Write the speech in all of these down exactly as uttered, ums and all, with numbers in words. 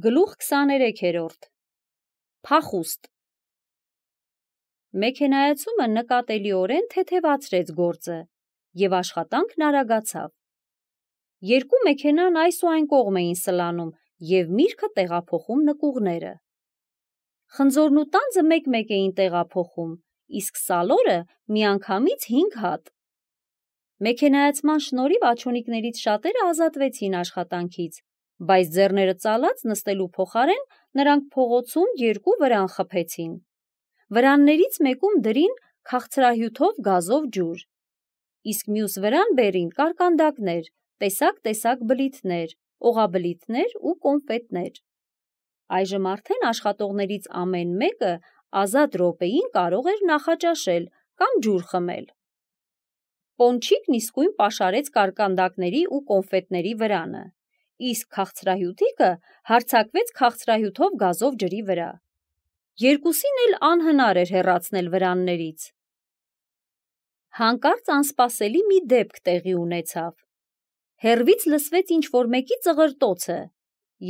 Գլուխ քսաներեքերորդ Փախուստ Մեքենայացումը նկատելիորեն թեթևացրեց գործը և աշխատանքն արագացավ։ Երկու մեքենան այս ու այն կողմ էին սլանում և միրգը տեղափոխում նկուղները։ Խնձորն ու տանձը մեկ-մեկ էին տեղափոխում, իսկ սալորը միանգամից հինգ հատ։ Մեքենայացման շնորհիվ աջոնիկներից շատերը ազատվեցին աշխատանքից, բայց ձեռները ծալած նստելու փոխարեն նրանք փողոցում երկու վրան խփեցին։ Վրաններից մեկում դրին քաղցրահյութով գազով ջուր, իսկ մյուս վրան բերին կարկանդակներ, տեսակ-տեսակ բլիթներ, օղաբլիթներ ու կոնֆետներ։ Այժմ արդեն աշխատողներից ամեն մեկը ազատ րոպեին կարող էր նախաճաշել կամ ջուր խմել։ Պոնչիկն իսկույն պաշարեց կարկանդակների ու կոնֆետների վրանը, իսկ քաղցրահյութիկը հարձակվեց քաղցրահյութով գազով ջրի վրա։ Երկուսին էլ անհնար էր հեռացնել վրաններից։ Հանկարծ անսպասելի մի դեպք տեղի ունեցավ։ Հեռվից լսվեց ինչ-որ մեկի ծղրտոցը,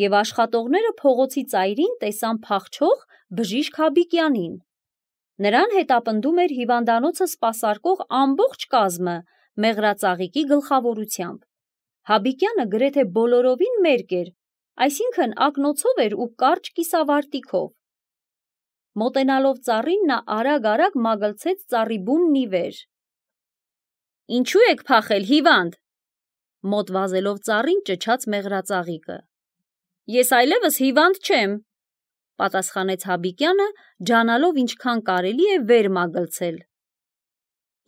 և աշխատողները փողոցի ծայրին տեսան փախչող բժիշկ Հաբիկյանին։ Նրան հետապնդում էր հիվանդանոցը սպասարկող ամբողջ կազմը մեղրածաղիկի գլխավորությամբ։ Հաբիկյանը գրեթե բոլորովին մերկ էր, այսինքն ակնոցով էր ու կարճ կիսավարտիքով։ Մոտենալով ծառին նա արագ-արագ մագլցեց ծառի բունն ի վեր։ «Ինչու եք փախել, հիվանդ», մոտ վազելով ծառին ճչաց մեղրածաղիկը։ «Ես այլևս հիվանդ չեմ», պատասխանեց Հաբիկյանը, ջանալով ինչքան կարելի է վեր մագլցել։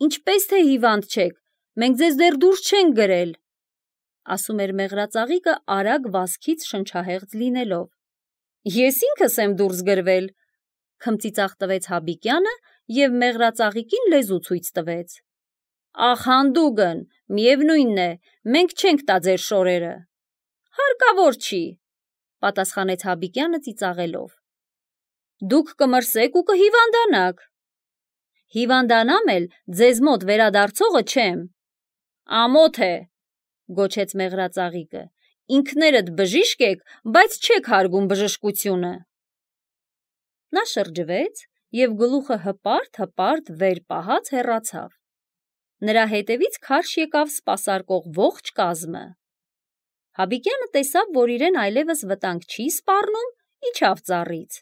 «Ինչպես թե հիվանդ չեք, մենք ձեզ դեռ դուրս չենք գրել», ասում էր մեղրածաղիկը արագ վազքից շնչահեղձ լինելով։ «Ես ինքս եմ դուրս գրվել», քմծիծաղ տվեց Հաբիկյանը և մեղրածաղիկին լեզու ցույց տվեց։ «Ախ, հանդուգն, միևնույն է, մենք չենք տա ձեր շորերը»։ «Հարկավոր չի», պատասխանեց Հաբիկյանը ծիծաղելով։ «Դուք կմրսեք ու կհիվանդանաք»։ «Հիվանդանամ էլ ձեզ մոտ վերադարձողը չեմ»։ «Ամոթ է», գոչեց մեղրածաղիկը, «ինքներդ բժիշկ եք, բայց չեք հարգում բժշկությունը»։ Նա շրջվեց և գլուխը հպարտ-հպարտ վեր պահած հեռացավ։ Նրա հետևից քարշ եկավ սպասարկող ողջ կազմը։ Հաբիկյանը տեսավ, որ իրեն այլևս վտանգ չի սպառնում, իջավ ծառից։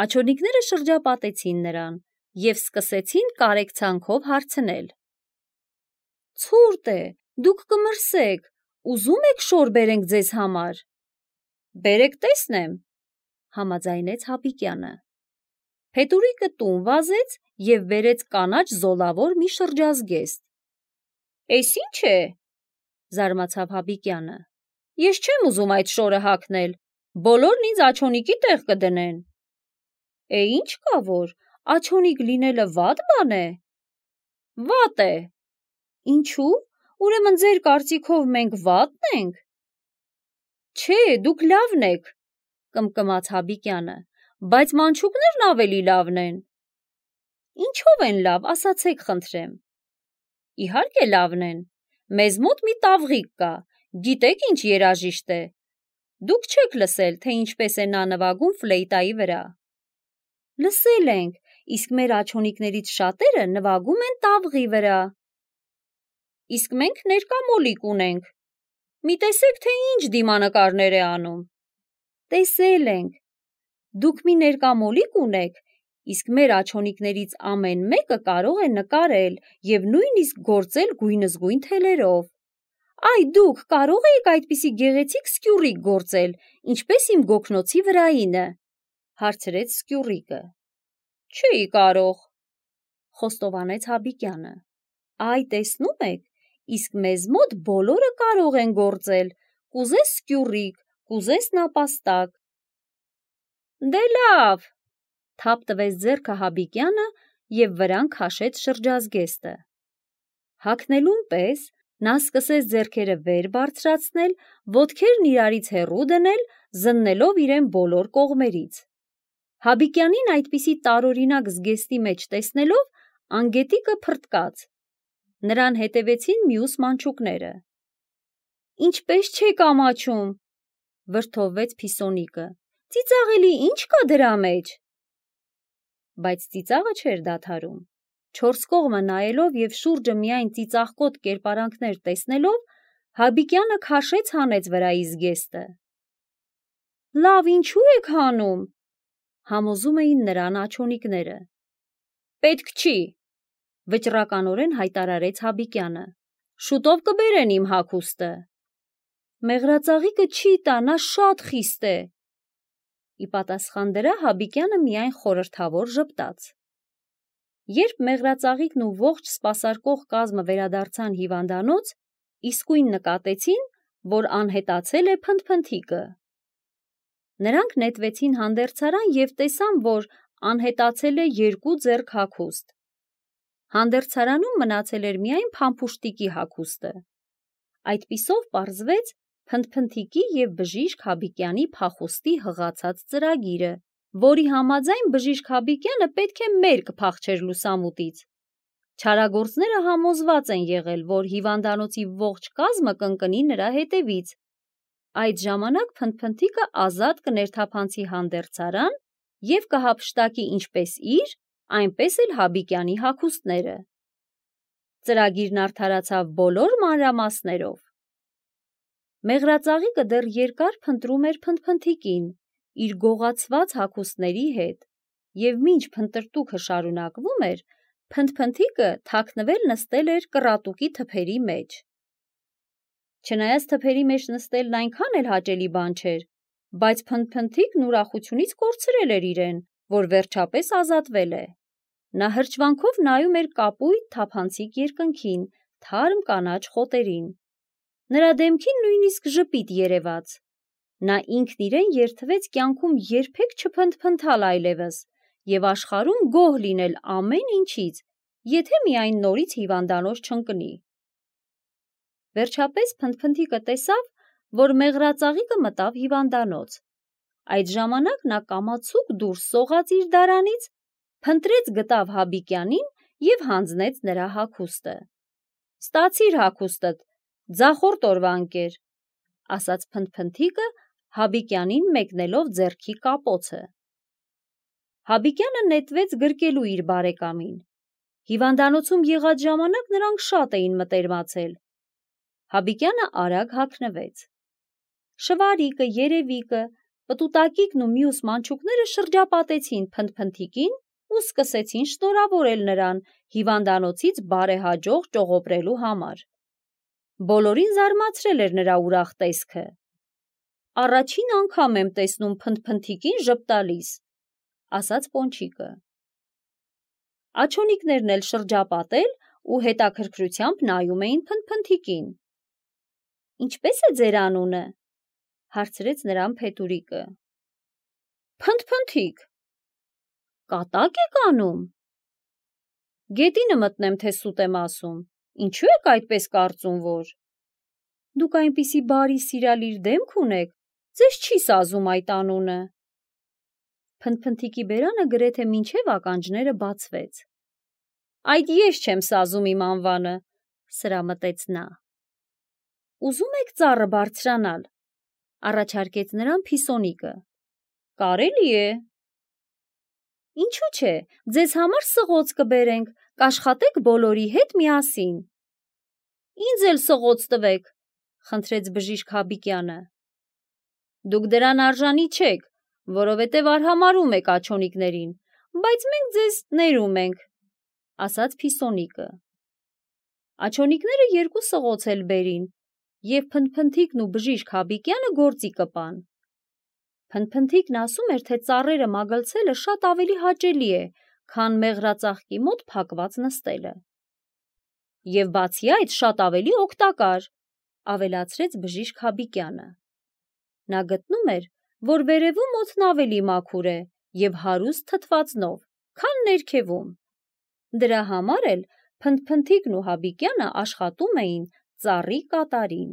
Աջոնիկները շրջապատեցին նրան և սկսեցին կարեկցանքով հարցնել. «Ցուրտ է, դուք կմրսեք, ուզում եք շոր բերենք ձեզ համար»։ «Բերեք տեսնեմ», համաձայնեց Հաբիկյանը։ Փետուրիկը տուն վազեց և բերեց կանաչ զոլավոր մի շրջազգեստ։ «Էս ի՞նչ է», զարմացավ Հաբիկյանը։ «Ես չեմ ուզում այդ շորը հագնել, բոլորն ինձ աջոնիկի տեղ կդնեն»։ «Է ինչ կա որ, աջոնիկ լինելը վատ բան է»։ «Վատ է»։ «Ինչու՞, ուրեմն ձեր կարծիքով մենք վատն ենք»։ «Չէ, դուք լավն եք», կմկմաց Հաբիկյանը, «բայց մանչուկներն ավելի լավն են»։ «Ինչո՞վ են լավ, ասացեք խնդրեմ»։ «Իհարկե լավն են, մեզ մոտ մի տավղիկ կա, գիտեք ինչ երաժիշտ է։ Դուք չեք լսել, թե ինչպես է նա նվագում ֆլեյտայի վրա»։ «Լսել ենք, իսկ մեր աջոնիկներից շատերը նվագում են տավղի վրա»։ «Իսկ մենք ներկա մոլիկ ունենք, մի տեսեք, թե ինչ դիմանկարներ է անում»։ «Տեսել ենք, դուք մի ներկա մոլիկ ունեք, իսկ մեր աջոնիկներից ամեն մեկը կարող է նկարել և նույնիսկ գործել գույնզգույն թելերով։ Այ դուք կարո՞ղ էիք այդպիսի գեղեցիկ սկյուռիկ գործել, ինչպես իմ գոգնոցի վրայինը», հարցրեց սկյուռիկը։ «Չէի կարող», խոստովանեց Հաբիկյանը։ «Այ տեսնում եք, իսկ մեզ մոտ բոլորը կարող են գործել, կուզես սկյուռիկ, կուզես նապաստակ»։ «Դե լավ», թափ տվեց ձեռքը Հաբիկյանը և վրան քաշեց շրջազգեստը։ Հագնելուն պես նա սկսեց ձեռքերը վեր բարձրացնել, ոտքերն իրարից հեռու դնել, զննելով իրեն բոլոր կողմերից։ Հաբիկյանին այդպիսի տարօրինակ զգեստի մեջ տեսնելով, անգետիկը փռթկաց։ Նրան հետևեցին մյուս մանչուկները։ «Ինչպես չեք ամաչում», վրդովվեց Փիսոնիկը։ Ծիծաղելի ինչ կա դրա մեջ։ Բայց ծիծաղը չէր դադարում։ Չորս կողմը նայելով և շուրջը միայն ծիծաղկոտ կերպարանքներ տեսնելով, Հաբիկյանը քաշեց հանեց վրայից զգեստը։ Լավ, ինչու եք հանում, համոզում էին նրան աջոնիկները։ Պետք չի, վճռականորեն հայտարարեց Հաբիկյանը։ Շուտով կբերեն իմ հագուստը։ Մեղրածաղիկը չի տա, նա շատ խիստ է։ Ի պատասխան դրա Հաբիկյանը միայն խորհրդավոր ժպտաց։ Երբ մեղրածաղիկն ու ողջ սպասարկող կազմը վերադարձան հիվանդանոց, իսկույն նկատեցին, որ անհետացել է փնթփնթիկը։ Նրանք նետվեցին հանդերձարան և տեսան, որ անհետացել է երկու ձեռք հագուստ։ Հանդերձարանում մնացել էր միայն փամփուշտիկի հագուստը։ Այդպիսով պարզվեց փնթփնթիկի և բժիշկ Հաբիկյանի փախուստի հղացած ծրագիրը, որի համաձայն բժիշկ Հաբիկյանը պետք է մերկ փախչեր լուսամուտից։ Չարագործները համոզված են եղել, որ հիվանդանոցի ողջ կազմը կընկնի նրա հետևից։ Այդ ժամանակ փնթփնթիկը ազատ կներթափանցի հանդերձարան և կհափշտակի ինչպես իր, այնպես էլ Հաբիկյանի հագուստները։ Ծրագիրն արդարացավ բոլոր մանրամասներով։ Մեղրածաղիկը դեռ երկար փնտրում էր փնթփնթիկին իր գողացված հագուստների հետ, և մինչ փնտրտուքը շարունակվում էր, փնթփնթիկը թաքնվել նստել էր կռատուկի թփերի մեջ։ Չնայած թփերի մեջ նստելն այնքան էլ հաճելի բան չէր, բայց փնթփնթիկն ուրախությունից կորցրել էր իրեն, որ վերջապես ազատվել է։ Նա հրճվանքով նայում էր կապույտ թափանցիկ երկնքին, թարմ կանաչ խոտերին։ Նրա դեմքին նույնիսկ ժպիտ երևաց։ Նա ինքն իրեն երդվեց կյանքում երբեք չփնթփնթալ այլևս և աշխարհում գոհ լինել ամեն ինչից, եթե միայն նորից հիվանդանոց չընկնի։ Վերջապես փնթփնթիկը տեսավ, որ մեղրածաղիկը մտավ հիվանդանոց։ Այդ ժամանակ նա կամացուկ դուրս սողաց իր դարանից, փնտրեց գտավ Հաբիկյանին և հանձնեց նրա հագուստը։ Ստացիր հագուստդ, ձախորդ օրվա ընկեր, ասաց փնթփնթիկը Հաբիկյանին մեկնելով ձեռքի կապոցը։ Հաբիկյանը նետվեց գրկելու իր բարեկամին։ Հիվանդանոցում եղած ժամանակ նրանք շատ էին մտերմացել։ Հաբիկյանը արագ հագնվեց։ Շվարիկը, Երևիկը, Պտուտակիկն ու մյուս մանչուկները շրջապատեցին փնթփնթիկին ու սկսեցին շնորհավորել նրան հիվանդանոցից բարեհաջող ճողոպրելու համար։ Բոլորին զարմացրել էր նրա ուրախ տեսքը։ Առաջին անգամ եմ տեսնում փնթփնթիկին ժպտալիս, ասաց Պոնչիկը։ Աջոնիկներն էլ շրջապատել ու հետաքրքրությամբ նայում էին փնթփնթիկին։ Ինչպե՞ս է ձեր անունը, հարցրեց նրան Փետուրիկը։ Փնթփնթիկ։ Կատակ եք անում։ Գետինը մտնեմ, թե սուտ եմ ասում, ինչու եք այդպես կարծում, որ… Դուք այնպիսի բարի սիրալիր դեմք ունեք, ձեզ չի սազում այդ անունը։ Փնթփնթիկի բերանը գրեթե մինչև ականջները բացվեց։ Այդ ես չեմ սազում իմ անվանը, սրամտեց նա։ Ուզում եք ծառը բարձրանալ, առաջարկեց նրան Փիսոնիկը։ Կարելի է։ Ինչու՞ չէ, ձեզ համար սղոց կբերենք, կաշխատեք բոլորի հետ միասին։ Ինձ էլ սղոց տվեք, խնդրեց բժիշկ Հաբիկյանը։ Դուք դրան արժանի չեք, որովհետև արհամարհում եք աջոնիկներին, բայց մենք ձեզ ներում ենք, ասաց Փիսոնիկը։ Աջոնիկները երկու սղոց էլ բերին, և փնթփնթիկն ու բժիշկ Հաբիկյանը գործի կպան։ Փնթփնթիկն ասում էր, թե ծառերը մագլցելը շատ ավելի հաճելի է, քան մեղրածաղկի մոտ փակված նստելը։ Եվ բացի այդ շատ ավելի օգտակար, ավելացրեց բժիշկ Հաբիկյանը։ Նա գտնում էր, որ վերևում օդն ավելի մաքուր է և հարուստ թթվածնով, քան ներքևում։ Դրա համար էլ փնթփնթիկն ու Հաբիկյանը աշխատում էին ծառի կատարին։